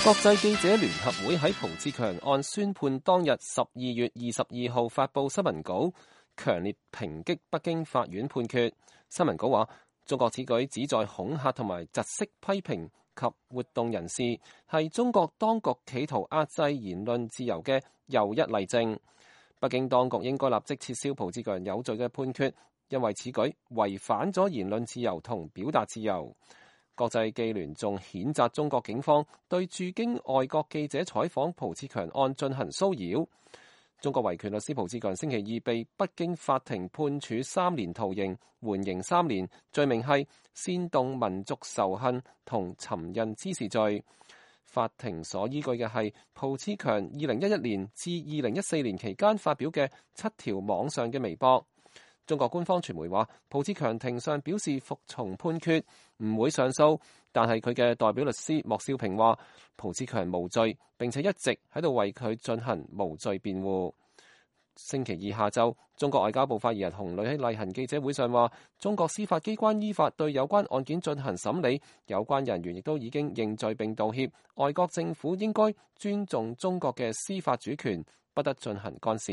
國際記者聯合會喺蒲志強案宣判當日12月22號發布新聞稿，強烈抨擊北京法院判決。新聞稿話，中國此舉旨在恐嚇同埋窒息批評及活動人士，係中國當局企圖壓制言論自由嘅又一例證。北京當局應該立即撤銷蒲志強有罪嘅判決，因為此舉違反咗言論自由同表達自由。國際記聯仲譴責中國警方對駐京外國記者採訪蒲志強案進行騷擾。中國維權律師蒲志強星期二被北京法庭判處3年徒刑，緩刑3年，罪名係煽動民族仇恨同尋釁滋事罪。法庭所依據嘅係蒲志強2011年至2014年期間發表嘅7條網上嘅微博。中國官方傳媒話，蒲志強庭上表示服從判決，唔會上訴，但係佢嘅代表律師莫少平話，蒲志強無罪，並且一直喺度為佢進行無罪辯護。星期二下晝，中國外交部發言人洪磊喺例行記者會上話，中國司法機關依法對有關案件進行審理，有關人員亦都已經認罪並道歉，外國政府應該尊重中國嘅司法主權，不得進行干涉。